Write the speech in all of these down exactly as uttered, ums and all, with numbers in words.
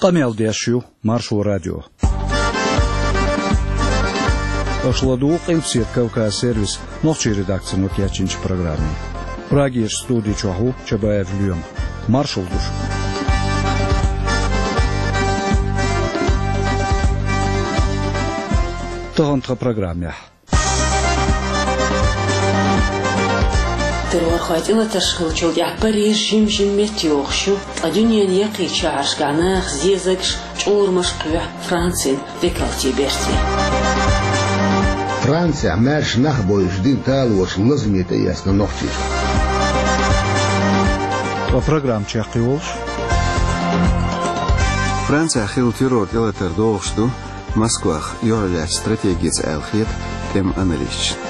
Къамел деш ю Маршо радио. Аша ладугӀу Къилбаседа Кавказ сервисан нохчийн редакцино кечйинчу программе. Прагерчу студи чохь ву Чабаев Лоьма. Маршалла ду шуьга. Тахана тхан программехь. Террорхойн тӀелатарш хиллачул тӀаьхьа Париж жим-жима меттайогӀуш ю, ткъа дуьненан яккхийчу шахьаршкахь нахах зезагаш, чкъурамаш кхоьхьу Францин векалтийн бертий. Францехь маьрша нах бойуш дина талораш лазаме тӀеэцна нохчаша. Ткъа программа чекхйолуш. Францехь хилла террор тӀелатар догӀуш ду, Москвах юьхьарлаьцна стратегица аьлла хета тӀеман аналисташна.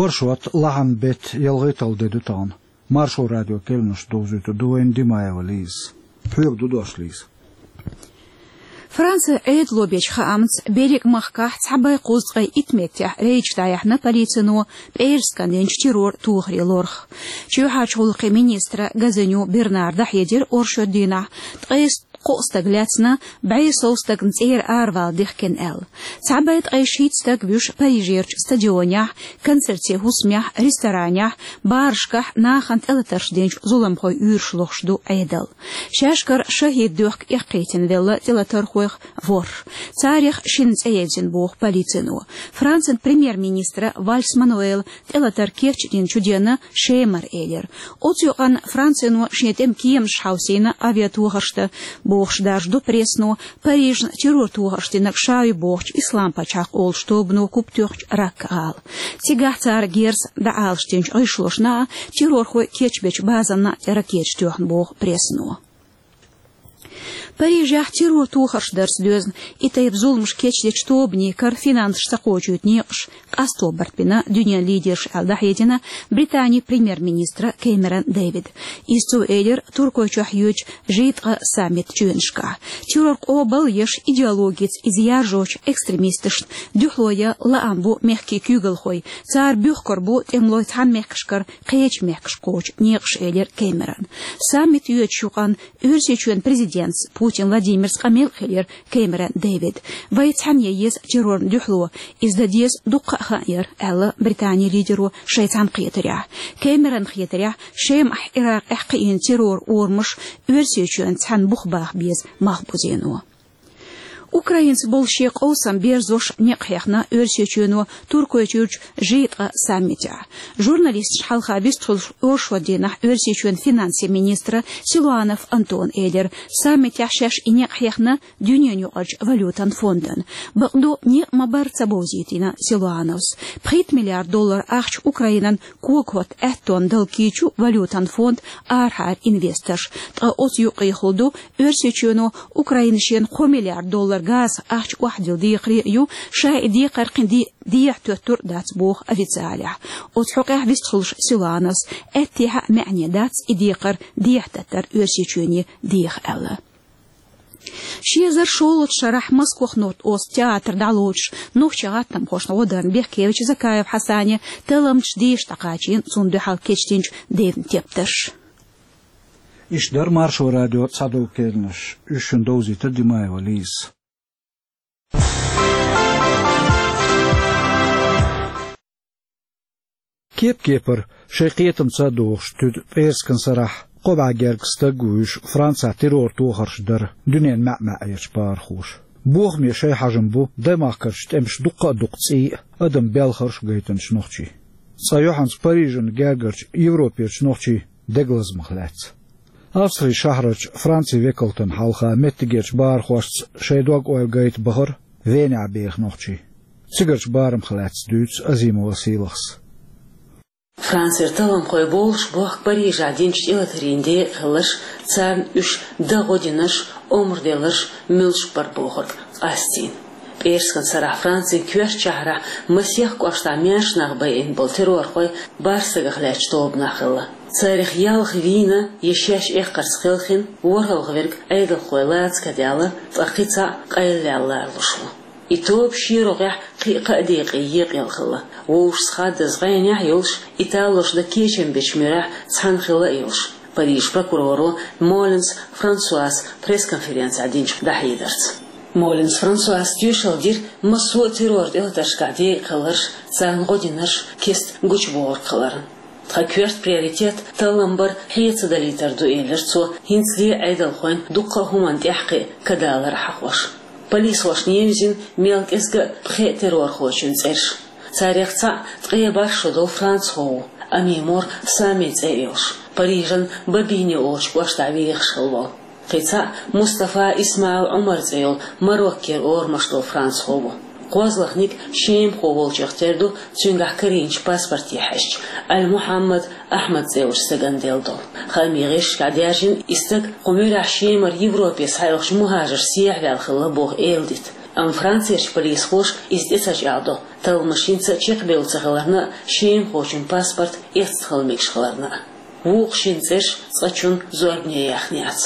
Оршот, лахьан беттан ялхитталгӀа де ду тахана. Маршо радион керланаш довзуьйтур ду вайна Димаева Лизас. Хьоьга ду дош, Лиза. Францин Ӏедало бечу хаамца, берриг а махкахь цхьа бӀе кхузткъе итт меттехь рейдаш дӀаяьхьна полицино пӀераскан динчу террор тохаре лорах. Чоьхьарчу гӀуллакхийн министра Газиню Бернара дӀахьедира оршот дийнахь, ткъе кхо стаг лаьцна, бӀе сов стагна цӀера аравала дихкина аьлла. Цхьа бӀе ткъе шийтта стаг вуьш Парижерчу стадионехь, концертийн хӀусамехь, ресторанехь, барашкахь нахана тӀелатарш динчу зуламхойн уьйраш лохуш ду Ӏедал. Шаьшкара шахӀид доьхка эккхийтина велла тӀелатархойх ворхӀ. Царех шинна цӀе езна боху полицино. Францин премьер-министра Вальс Мануэла тӀелатар кечдинчу денна Шемара элира. Оцу юкъанна Францино шен тӀеман кеманаш хьовсийна авиатохарш дан бохуш даржадо прессано Парижна террор тохарш динарг ша ю бохучу Ислам-пачхьалкх олучу тобано куп тоьхначу Ракка-гӀала. Цигахь цара герзаца дӀаалашдинчу гӀишлошна а, террорхой кечбечу базанна а тӀе ракеташ тоьхна боху прессано. Парижехь террор тохарш дарца доьзна и тайпа зуламаш кечдечу тобанийн кара финансаш ца кхочуьйту некъаш къасто барт бина дуьненан лидерша аьлла дӀахьедина Британин премьер-министра Кэмерон Дэвида. Иза цо элира Туркойчохь йоьдучу жи ткъа саммитан чоьнашкахь. Террор къобал а еш, идеологица иза яржочу экстремисташна дуьхьало ян лаам бу мехкийн куьйгалхой, цара буьхкур бу тӀемалой цхьана мехкашкара кхечу мехкашка кхочу некъаш, элира Кэмерона. Саммит йоьдучу юкъанна Оьрсийчоьнан президентаца Путин Владимирца къамел а хилира Кэмерон Дэвида. Вай цхьаьна ян еза террорна дуьхьало, иза дан деза дуккха а хан яра, аьлла Британин лидеро шайн цхьаьнакхетарехь. Кэмерона хетарехь, Шемахь, Ӏиракъехь кхиъна терроран урамаш Оьрсийчоьнца цхьаьна бух баха беза малхбузено. Украинца болу шен къовсам берзош некъ хьехна Оьрсийчоьно Туркойчуьрчу жи ткъа саммитехь. Журналисташна хьалха вистхуьлуш оршот дийнахь Оьрсийчоьнан финансийн министра Силуанов Антона элира, саммитехь шаьш и некъ хьехна дуьненан юкъарчу валютан фондана. Бакъду, некъ ма-барра ца бовзийтина Силуановс. Пхийтта миллиард доллар ахча Украинан когахӀотта аьттонна дала кийчу валютан фонд арахьара инвесторш. Ткъа оцу юкъехула ду, Оьрсийчоьно Украина шена кхо миллиард доллар газан ахча охьадилла декхаре а ю, ша и декхар кхин де-, дехьа тоьттур а дац, боху официалехь. Оцу хьокъехь вистхуьлуш Силуановс, аьттехьа а маьӀне дац и декхар дехьа таттар Оьрсийчоьне деха аьлла. Ши эзар шолгӀачу шарахь Москох нотта оцу театр дӀалоцуш нохчийн гӀаттамхошна гӀо дарна бехкевича Закаев Хьасане талламчаш дийша дӀакхачийна цунна дуьхьал кечдинчу девнан тептарш. Иштта дара Маршо радион цхьадолу керланаш. Уьш шуна довзийтира Димаева Лизас. Кеп-кепара шайн кхетамца а догӀуш туьду пӀераскан сарахь кхо бӀе гергга стаг а вуьйш, Францехь террор тохарш дара дуьненан маьӀ-маьӀӀерчу бахархоша. Бохаме шайн хьажам бу даймахкарчу тӀемаша дуккха а дукха цӀий а, адам белхарш а гайтинчу нохчийн. Цкъа юьхьанца Парижан гергарчу Европерчу нохчийн дегалазамах лаьцна. Австрин шахьарчу Францин векалтана хьалха меттигерчу бахархошца шайн дог-ойла гайта бахара Венехь беха нохчий. Цигарчу барамах лаьцна дуьйцу Азимова Сийлахьас. Францера талламхой болуш бохку Парижехь динчу тӀелатарийн декъа хилларш, царна уьш дан гӀо динарш, омра делларш муьлш бара бохург къастийна. ПӀераскан сарахь Францин коьртачу шахьарахь масех кӀоштахь маьрша нах байина болу террорхой бархӀ стагах лаьттачу тобанах хилла. Царах ялх вийна я шаьш эккхарца кхелхина, ворхӀалгӀа верг Ӏедалхой лаца кадаьлла, ткъа кхин цхьаъ къайлаваьлла ларалуш ву. И тоба шен рогӀехь кхин а кхаа декъе екъаелла хилла. Вовшашца хаддаза гӀенехь а йолуш, италоша дан кечам бечу муьрехь цхьаьна хилла а йолуш, Парижан прокуроро Молинс Франсуас пресс-конференцехь динчу дӀахьедарца. Молинс Франсуас тоьшалла дира массо а террор тӀелатаршкахь декъахь хилларш, царна гӀо динарш, кеста гучубохург хиларна. Тхан коьрта приоритет таллам бар хьеца далийтар ду, элира цо, хӀинцале а Ӏедалхойн дуккха а хӀуманна тӀаьхьакхиа кадалар а хьахош. Полисхошна евзина мел кӀезга а пхеа террорхочун цӀераш. Царех цхьаъ ткъе бархӀ шо долу францхо ву, Ами Мор Сами цӀе а йолуш, Парижан Бобине олучу кӀоштахь вехаш хилла волу. Кхин цхьаъ Мустафа Исмаил Ӏумар цӀе йолу Мароккера орамаш долу францхо ву. КхозлагӀниг шемахо волчух тера ду, цуьнгахь карийначу паспорте хьаьжча, Аль-Мухьаммад Ахьмад цӀе йолчу стагана делла долу. Хаамийн гӀирсашкахь даьржина и стаг кху муьрехь Шемара Европе схьаоьхучу мухӀажарш сехьаваьлла хилла боху эладита. Амма Францерчу полисхоша иза тӀе ца чӀагӀдо, талламаш хӀинца а чекхбевлла ца хиларна а, шемахочун паспорт эцна хила мегаш хиларна а. Вукху шина цӀераш цкъачунна зорбане яьхна яц.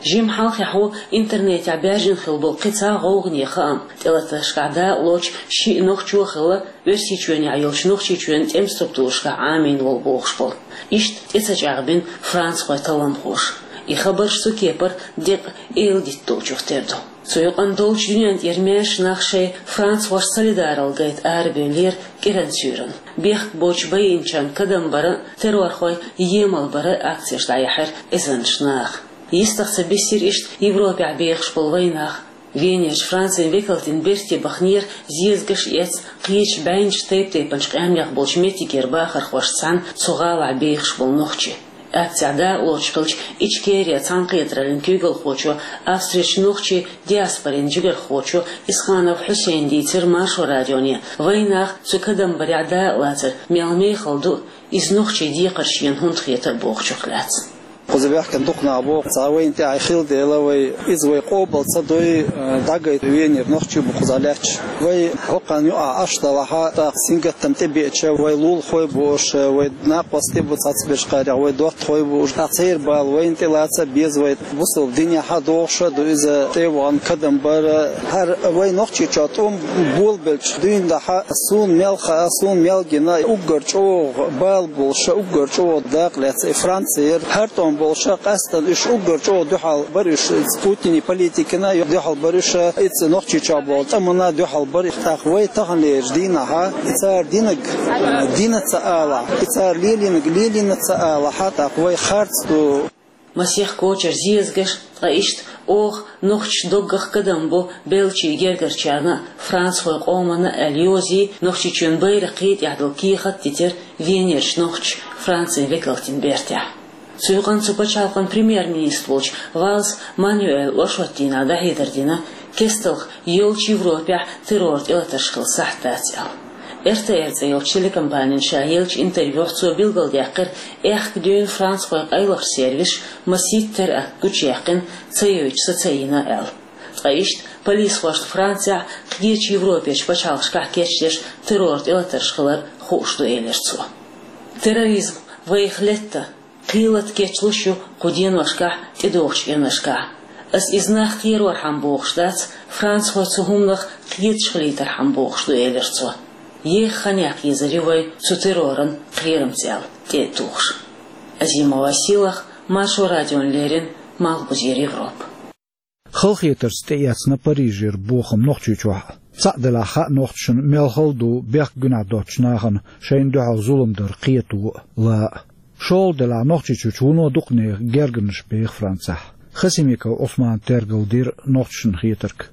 Жимма хьалхехь ву интернетехь баьржина хилла болу кхин цхьа гӀовгӀане хаам: тӀелатаршкахь дакъалоцуш шиъ нохчо а хилла, Оьрсийчоьнехь йолчу Нохчийчоьнан тӀеман структурашкахь Ӏамийна волу бохуш болу. Иштта тӀе ца чӀагӀбина францхойн талламхоша. И хабарш цу кепара деккъа эладита долчух тера ду. Цу юкъана долчу дуьнен тӀера маьрша нах шайн францхошца солидаралла гайта арабевллера кӀиранан суьйранна. Бехк боцуш байинчарна кадам бара а, террорхойн емал бара а акцеш дӀаяьхьира эзарнаш наха. Йистах ца бисира иштта Европехь бехаш болу вайн нах. Венерчу Францин векалтин берте баханера зезагаш а эцна, кхечу бӀеннаш тайп-тайпанчу къаьмнех болчу меттигера бахархошца цхьаьна цу гӀалахь бехаш болу нохчий. Акцехь дакъалоцуш хиллачу Ичкерин цхьаьнакхетараллин куьйгалхочо, Австрерчу нохчийн диаспорин жигархочо Исханов Хьусейна дийцира Маршо радионе, вайн нах цу кадам барехь дакъалацар мел мехала ду, иза нохчийн декхар шена хӀунда хетара бохучух лаьцна. Кхуза баьхкина дукха нах бу, цхьа вайна тӀехь хилла дела, вай иза вай къобал ца дуй, э, дӀагайта венера нохчий бу кхузахь лаьтташ. Вай хӀокхарна юкъахь Ӏаш далахь а, тӀаккха сингаттам тӀебеача, вай лулахой бу уьш, вай накъостий бу цхьацаберш кхарех, вай доттагӀой бу уьш. ТӀаккха церан бала вайна тӀелаца а беза, вай бусалба динехь а догӀуш а ду иза тӀе а вахана кадам бар. ХӀара вай Нохчийчохь тӀом болабелча дуьйна дахьа, суна мел хаа, суна мел гина, уггар чӀогӀа бала болуш а, уггар чӀогӀа дакъа лаьцна и Франци яра. ХӀара тӀом болуш а, къаьсттина уьш уггар чӀогӀа дуьхьал бара уьш, Путинан политикина а дуьхьал бара уьш, иза Нохчийчохь болу тӀамна а дуьхьал бара. ТӀаккха вай таханлерчу дийнахь а, и цара динарг, дина ца алахь, и цара лелийнарг лелийна ца алахь, тӀаккха вай харц ду. Масех кочара зезагаш, ткъа иштта оха нохчаша доггах кадам бо беллачийн гергарчарна а, францхойн къоманна а аьлла йозий, Нохчийчоьнан байракх тӀехь долу кехат а дитира Венерчу нохчаша Францин векалтин бертехь. Цу юкъана цу пачхьалкхан премьер-министр волчу Валс Мануэла оршотдийнахь дӀахьедар дина, кестта йолчу Европехь террор тӀелатарш хила сахьт дац аьлла. Эр Т Р цӀе йолчу телекомпанина ша еллачу интервьюхь цо билгалдаьккхира, аьхка дуьйна францхойн къайлахчу сервисаша масийтта теракт гучуяьккхина, ца йойтуш са ца йина аьлла. Ткъа иштта полисхошна Францехь кхечу Европерчу пачхьалкхашкахь кечдеш террор тӀелатарш хилар хууш ду, элира цо. Терроризм вайх летта, кхелата кечлуш ю кху деношкахь тӀедогӀучу кӀирнашкахь. Ас иза нах кхерорхьама бохуш дац, францхой цу хӀуманах кхеташ хилийтархьама бохуш ду, элира цо. Еха хан яккха езар ю вай цу терроран кхерамца аьлла, тӀе а тухуш. Азимова Силах, Маршо радиона леррина, Малхбузера Европа. Халахетарца тӀеэцна Парижера бохам Нохчийчохь а. Цхьаъ делахь хаьа нохчашна мел хала ду бехк-гуьнахь доцучу нахана шайна дуьхьал зулам дар кхето а, ла а. ШолгӀа делахь Нохчийчуьрчу вуно дукха нехан гергарнаш беха Францехь. Хасимиков Ӏусмана тергалдира нохчашна хетарг.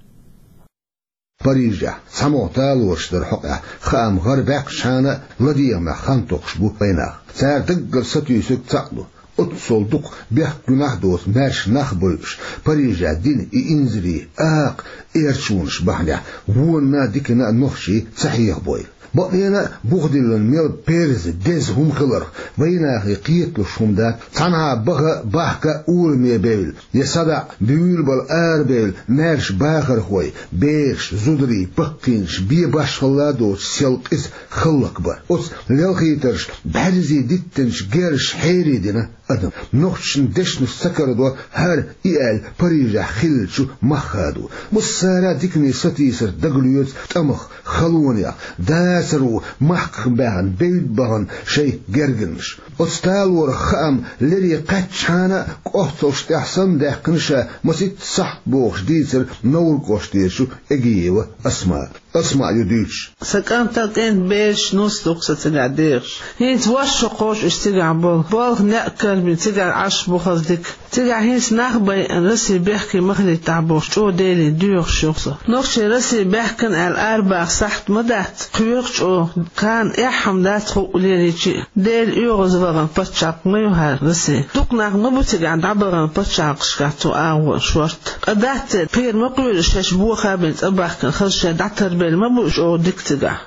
Парижехь цхьамогӀа талораш дар хьокъехь хаам гӀарабаьккхачхьана а, ладегӀамехь хан токхуш бу вайнах. Цара даггара сатуьйсург цхьаъ ду. Оццул дукха бехк-гуьнахь а доцу маьрша нах а бойуш, Парижехь дина и инзаре акха эрчонаш бахьанехь вонна а, дикана а нохчий ца хьехабойла. Бакъдолуш а, бухадиллина мел берза, деза хӀума хиларх вайнахе кхеталуш хӀума дац, цхьанхьа баха а, бахка а ураме бевлла, я садаӀа буьйлабала арабевлла маьрша бахархой, бераш, зударий, баккхийнаш бен башхалла а доцуш сел къиза хӀаллакбар. Оцу лелхийтарша бӀаьрзе диттинчу герзаша хьередина адам. Нохчашна дешнаш ца карадо хӀара и аьлла Парижехь хиллачу мах хадо. Массара а дикане сатийсар дагалоьцу тӀамах, халонех, дацаро махках баьхна, бевдда бахана шайн гергарнаш. Оцу талорах хаам лере кхаьччахьана а, кӀоццалш тӀехь санна даьккхина ша масийтта сахьт бохуш дийцира Невран кӀоштарчу Эгиева Асмаа. Асмаа ю дуьйцуш. Сан кӀантана кӀентан бераш нус ду-кх сан цигахь дехаш. ХӀинца ваш шо кхош уьш цигахь болу. Болх некъ карбина цигахь Ӏаш бу хаза дика. Цигахь хӀинца нах байъина, Россия бехке ма хилийтахь бохуш, чӀогӀа Деле доьхуш ю-кх со. Нохчий Россия баьхкина аьлла арабаха сахьт ма дац, кхоьху чӀогӀа. Кхана эхь-хӀума дац хӀуъа лелийча а, Дела оьгӀазвахана паччахьалкх ма ю хӀара Россия. Дукха нах ма бу цигахь дӀабахана паччахьалкхашкахь цу агӀор шорта. Ткъа дац церан, кхера ма кхоьру шаьш боха бина цӀа бахкана, хаза шайн дӀатарбелла ма бу уьш чӀогӀа дика цигахь.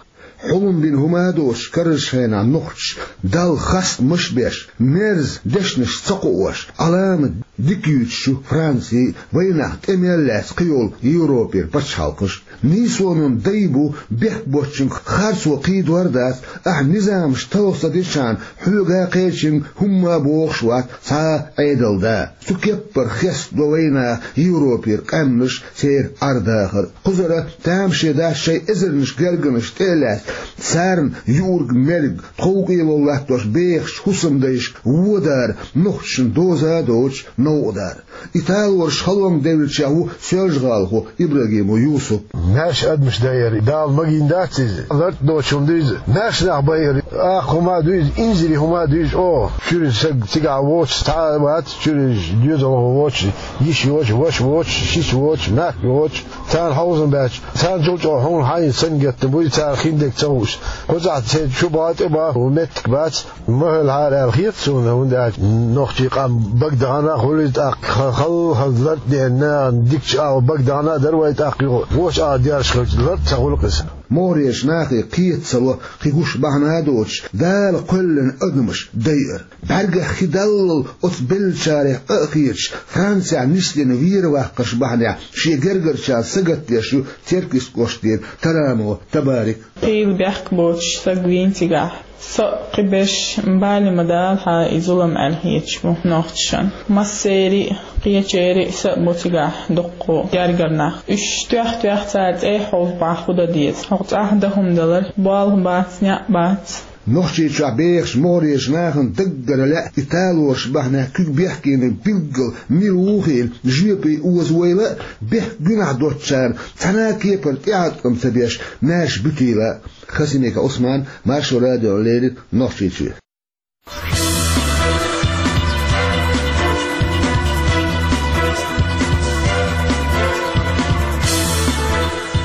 Хьулам бина хӀума а доцуш, карарчу хенахь нохчаша Далла хастамаш а беш, мерза дешнаш ца кхоош, Ӏаламат дика юьйцучу Франци а, вайнах тӀе мел лаьцна кхийолу Европера пачхьалкхаш а. Нийсонан дай бу бехк боцчуьнга харцо кхийдор дац, ахь низамаш талха ца дечхьана, хьоьга а, кхечуьнга хӀумма а бохуш вац цхьа а Ӏедалан да. Цу кеппара хестадо вайнах Европера къаьмнаш, церан Ӏар-дахар. Кхузара тамаше дац шайн эзарнаш гергарнаш тӀе а лаьцна, царна юург-мерг, тховкӀело латтош бехачу хӀусамдайшка водар, нохчашна доза а доцуш новкъадар. И талораш халонга девллачех ву соьлжа-гӀалахо ИбрагӀимов Юсуп. Маьрша адамаш дайра, Дала магийна дац иза. ЛартӀа доцуш хӀума ду иза. Маьрша нах байра. Акха хӀума а ду иза, инзаре хӀума а ду иза. О, чуьра саг цигахь воцуш цхьа а вац, чуьра доьзалхо воцуш, йиша йоцуш, ваша воцуш, шица воцуш, махка воцуш, царна хьовзам баьлча, царна чул чӀогӀа хьуна хьайна сангаттам буй, цара хиндерг ца хууш. Кхузахь церан чу бан, тӀе бан меттиг бац. Ма хьалхара аьлла хета суна, хӀунда аьлча нохчийн къам багадахана а хуьлу иза тӀаккха, ха-, хала-хала лартӀа деана, нахана дикачу агӀор багадахана а дара вай тӀаккха юха. Вочу агӀор дерш хилча, лартӀа ца хуьлу-кх иза. МогӀарерчу нахе кхета ца ло, кхин гуш бахьана а доцуш, Дала кхоьллина адамаш дайар. БӀаьргех хи даллал оцу беллачарех къа а хеташ, Францехь нислина вера ваккхарш бахьанехь шен гергарчарна сагатдеш ю Теркйист кӀоштара Тарамо Табарик. Хийла бехк боцуш саг вийна цигахь. Со а, кхиберш а бале ма дала хьан и зулам аьлла хеташ бу нохчашна. Массеран а, кхечеран а са а бу цигахь дуккха гергара нах. Уьш тоьхна-тоьхна цара цӀе хьовза бахьа хӀун дан деза. ХӀокху цӀахь дан хӀума далар, болх бац, некъ бац. Нохчийчохь бехачу могӀарерчу нахана даггара лаьа и талораш бахьанехь куьг бехкениг билггал мила ву хиъна жоьпе озавойла а, бехк гуьнахь доцучарна цхьана а кепара тӀеӀаткъам ца беш, маьрша буьтийла а. Хасимиков Ӏусман, Маршо радиона леррина, Нохчийчоь.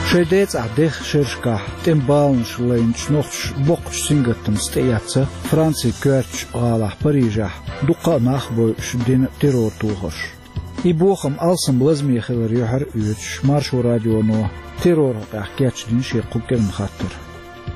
Шайн децӀахь дехачу шерашкахь тӀеман баланаш лайначу нохчаша боккхачу сингаттамца тӀеэцна Францин коьртачу гӀалахь Парижехь дуккха а нах а бойуш дина террор тохарш. И бохам алсам лазаме хилар юьхьар а оьцуш, Маршо радионо терроран хьокъехь кечдина шен кху кӀиранан хаттар.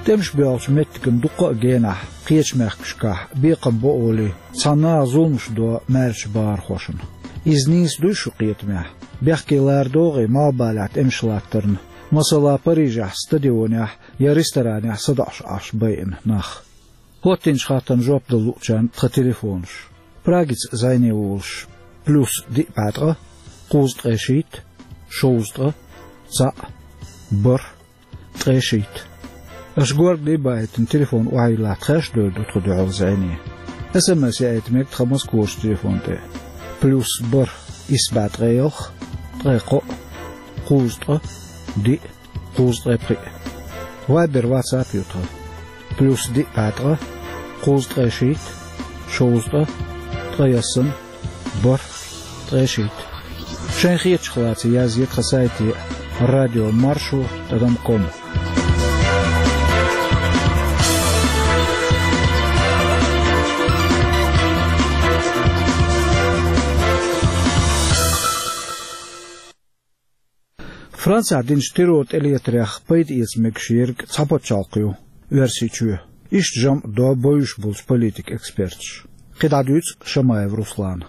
ТӀемаш боьлхучу меттиган дуккха а генахь кхечу мехкашкахь, бекхам бо олий, цхьана наха зуламаш до маьршачу бахархошна. Иза нийса дуй шун кхетамехь? Бехке лара догӀий малхбалехь тӀемаш латтарна, масала, Парижехь стадионехь я ресторанехь садоӀуш Ӏаш байина нах? ХӀоттийначу хаттарна жоп дала луучарна тхан телефонаш. Прагица зӀене волуш: плюс диъ бӀе ткъа, кхузткъе шийтта, шовзткъа, цхьаъ, бархӀ, ткъе шийтта. Аша горгали а баийтина, телефон охьайиллахь, тхаьш а девр ду тхо дуьхьал зӀене. СМС яийта мега тхан Москварчу телефон тӀе: плюс бархӀ, исс бӀе ткъе ялх, ткъе кхоъ, кхузткъа, диъ, кхузткъе пхиъ. Вайбер, ватсап ю тхан: плюс диъ бӀе ткъа, кхузткъе шийтта, шовзткъа, ткъе ялсамани, бархӀ, ткъе шийтта. Шайн хетачух лаца язъе тхан сайте: радио маршо тӀадам ком. Францехь динчу террор тӀелетарех пайда эца мегаш ерг цхьа пачхьалкх ю — Оьрсийчоь. Иштта жамӀ до бовзуш болчу политикан эксперташа. КхидӀа дуьйцу Шамаев Руслана.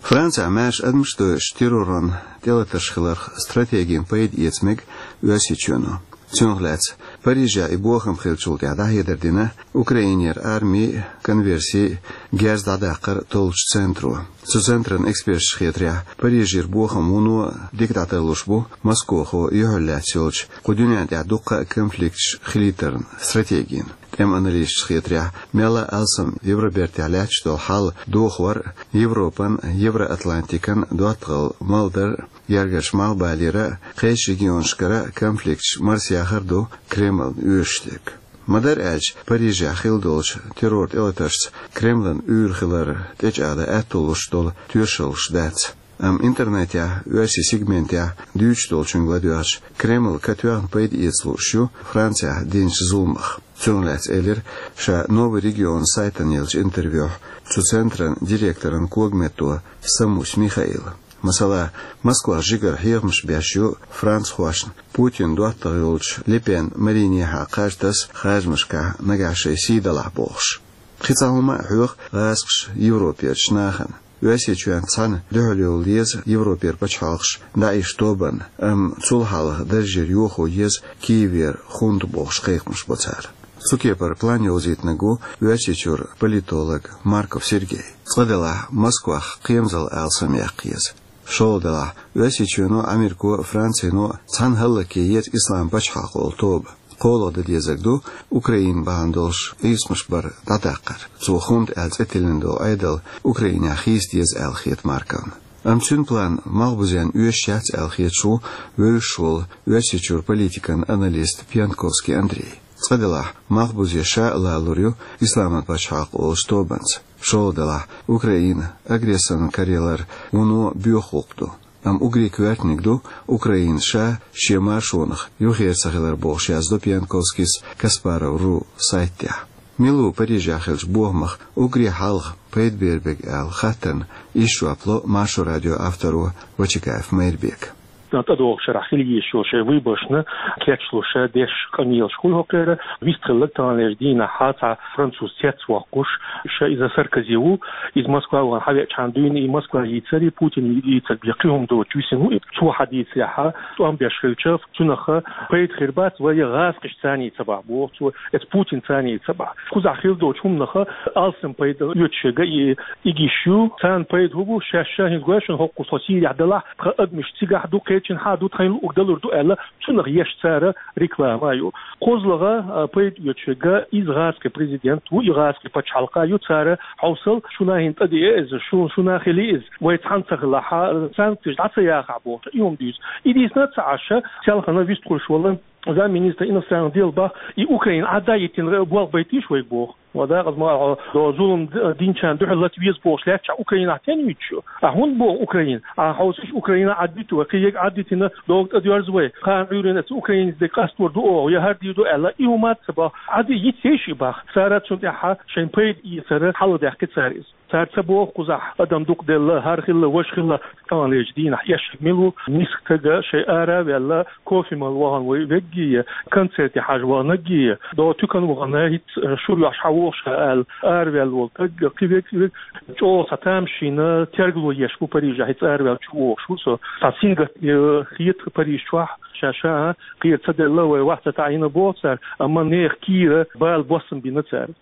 Францехь маьрша адамаш а доьшуш терроран тӀелатарш хиларх стратегина пайда эца мега Оьрсийчоьно. Цунах лаьцна Парижехь и бохам хиллачул тӀаьхьа дӀахьедар дина Украинера армин конверсий герз дӀадаккхар толлучу центро. Цу центран эксперташа хетарехь, Парижера бохам вуно дика дӀатарлуш бу Москохо юьхьарлаьцна йолчу кху дуьнен тӀехь дуккха а конфликташ хилийтаран стратегина. ТӀеман аналисташа хетарехь, мел а алсам Евробертехь лаьтташ долу хьал дохор а, Европан, Евроатлантикан доттагӀалла малдар а, гергарчу малхбалера а, кхечу регионашкара а конфликташ марсаяхар а ду Кремльна оьшуш дерг. Ма-дарра аьлча, Парижехь хилла долчу террор тӀелатаршца Кремльна уьйр хилар тӀечӀагӀдан аьтто луш долу тоьшаллаш дац. Амма интернетехь, оьрсийн сегментехь дуьйцуш долчуьнга ладоьгӀча, Кремль катоьхна пайда эца лууш ю Францехь динчу зуламах. Цунах лаьцна элира ша «Новый регион» сайтана еллачу интервьюхь цу центран директоран когаметто Самусь Михаила. Масала, Москвахь жигара хьехамаш беш ю францхошна Путинан доттагӀа йолчу Ле Пен Маринехьа кхаж таса харжамашкахь нагахь шайн сий далахь бохуш. Кхин цхьа хӀума а хьоьху гӀазкхаша Европерчу нахана. Оьрсийчоьнца цхьаьна дуьхьал йовла еза Европера пачхьалкхаш ДАИШ тобанна, амма цул хьалха даржера йохо еза Киевера хунта бохуш кхайкхамаш бо цара. Цу кепара план йовзийтинарг ву Оьрсийчуьра политолог Марков Сергей. Цкъа делахь, Москвах кхерамзалла алсам яккха еза. ШолгӀа делахь, Оьрсийчоьно, Америко, Францино цхьаьна хӀаллакъян еза Ислам пачхьалкх олу тоба. КхоалгӀа дан дезарг ду Украина бахьана долуш къийсамаш бар дӀадаккхар. Цо хунта аьлла цӀе тиллина долу Ӏедал Украинехь хийца деза аьлла хета Марковна. Амма цуьнан план малхбузенна оьшуш яц аьлла хеташ ву вевзаш волу Оьрсийчуьра политикан аналист Пьянковский Андрей. Цкъа делахь, малхбузе ша а лалур ю Исламан пачхьалкх олучу тобанца. ШолгӀа делахь, Украина агрессорна караялар вуно боьха гӀуллакх ду. Амма уггаре коьртаниг ду Украина ша шен маршонах юххера ца хилар бохуш, яздо Пьянковскийс Каспаров ру сайта тӀехь. Мила ву Парижехь хиллачу бохамах уггаре хьалха пайда бер берг аьлла хаттарна иштта жоп ло Маршо радион авторо Вачагаев Майрбека. ТӀедогӀучу шарахь хила езаш йолу шайн выборашна кечлуш деш къамелаш хуьлу хӀокхеран. Вистхилларг, таханлерчу дийнахь цхьа француз цецвоккхуш, ша иза Саркози ву. Иза Москва вахана хьавеачхьана дуьйна и Москва йийцар, и Путин йийцар бен кхин хӀума доцуш висина ву. И цо хьадийцарехь, тӀом беш хилча, цунах пайда хир бац, вай гӀазкхашца цхьаьна ца бахь, боху цо, эцу Путинца цхьаьна ца бахь. Кхузахь хила долчу хӀуманах алсам пайда оьцуш ерг и, и гиш ю. Царна пайда хӀун бу, шаьш ша хӀинца гой шуна хӀокхуза тхо Сирехь делахь, тхан адамаш цигахь ду, кхечанхьа ду, тхайна луъург далур ду аьлла, цунах еш цара реклама а ю. КхозлагӀа, а, пайда оьцуш ерг иза гӀазкхийн президент ву, и гӀазкхийн пачхьалкх а ю, цара хьовсал, шуна хӀинца тӀедеа иза, шу, шуна хили иза, вай цхьаьна ца хилахь, санкцеш дӀа ца яхахь бохуш, и хӀума дуьйцу. И дийцина ца Ӏаш, селхана вистхуьлуш волу замминистра иностранных дел бах, и Украина Ӏадда йитина болх байтийша вайга боху. Ва дакъаза ма алахь, до зулам д-, динчарна дуьхьал лаца веза бохуш лаьттачохь Украинахь стенна юьйцуш ю? Ахь хӀунда боху Украина? Ахь хьовсийша, Украина Ӏаддитина вай, кхин ерг Ӏаддитина догӀу тӀедоьрзу вай. Кхана Ӏуьйранна эцу Украинца дерг къастор ду оха, я хӀара дийр ду аьлла, и хӀума ца боху. Ӏадда йиц ейша и бах. Цара цунна тӀехь шайн пайда эцар хьалха даьккхи цара иза. Цара ца боху кхузахь адам дукха делла, хӀара хилла, важа хилла, таханлерчу дийнахь эшна мила ву, миска стага шайн ара а ваьлла, кофе мала вахана вай веггий, концерте хьажа ваханаггий, до туькана вахана, хӀинца шура йохьуш хьан вохуш хьан аьлла, араваьлла волу стаг, кхин верг, верг, чӀогӀа цхьа тамашийна тергало еш бу Парижехь, хӀинца араваьллачу вохуш ву со. Цхьа сингаттам хета Париж чохь, ша-ша, а, кхера ца делла, вай вац ца таӀийна боху цара, амма нехан кийра бала боссам бина цара.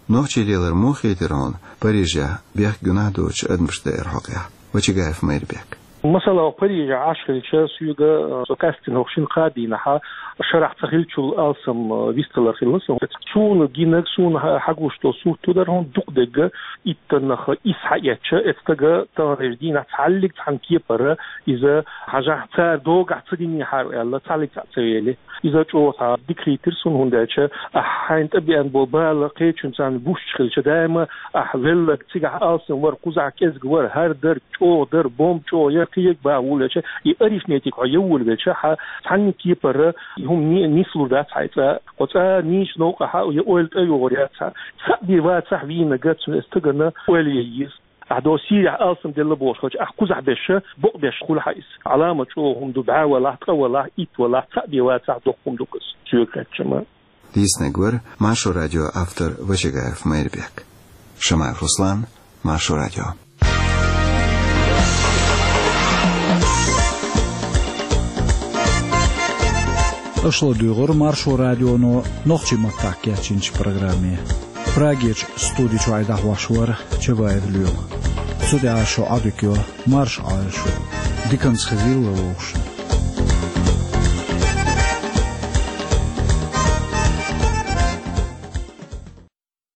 Нохчийн лелар муха хийтира хьуна Парижехь бехк-гуьнахь доцучу адамашна дайра хьокъехь? Вачагаев Майрбек. Масала, Парижехь Ӏаш хилча, соьга, э, со къаьстина хӀокху шина-кхаа дийнахь шарахь ца хиллачул алсам, э, вистхилар хилла сан. Суна гинарг, суна хьа-, хьагуш долу сурт ду дара хьуна, дукха дерг иттаннах исс хьаэцча, эцу стага таханлерчу дийнахь цхьаллиг цхьана кепара иза хьажахь, цара догахь ца динехьара аьлла, цхьаллиг цхьаъ ца вели. Иза чӀогӀа цхьа дика хийтира суна, хӀунда аьлча ахь хьайна тӀебеана болу бала кхечуьнца гуш хилча, даима ахь велларг цигахь алсам вара, кхузахь кӀезиг вара, хӀара дара, чӀогӀа дара, бомба чӀогӀа яра, кхин ерг бахьа ву аьлча, и арифметика хьо ян волавелча, хьан цхьанна кепара и хӀума ни-, нислур дац хьайн цӀа. Кху цӀа нийсачу новкъахь и ойла тӀейогӀур яц хьан. Цхьаъ бен вацахь вийнарг цуьнан стагана ойла ян еза. Ахь до Сирехь алсам делла бохуш хилча, ахь кхузахь беш бакъбеш хуьлу хьан иза. Ӏаламат чӀогӀа хӀума ду, бӀе валахь, ткъа валахь, итт валахь, цхьаъ бен вацахь доккха хӀума ду иза, соьга хаьттича. Дийцинарг вара Маршо радион автор Вачагаев Майрбек. Шамаев Руслан, Маршо радио. Аша ладугӀура Маршо радионо нохчийн маттахь кечйинчу программе. Прагерчу студи чохь дӀахьош вара Чабаев Лоьма. Цу тӀехь шун Ӏадика йо, марша Ӏойла шу. Диканца хезийла вовшашна.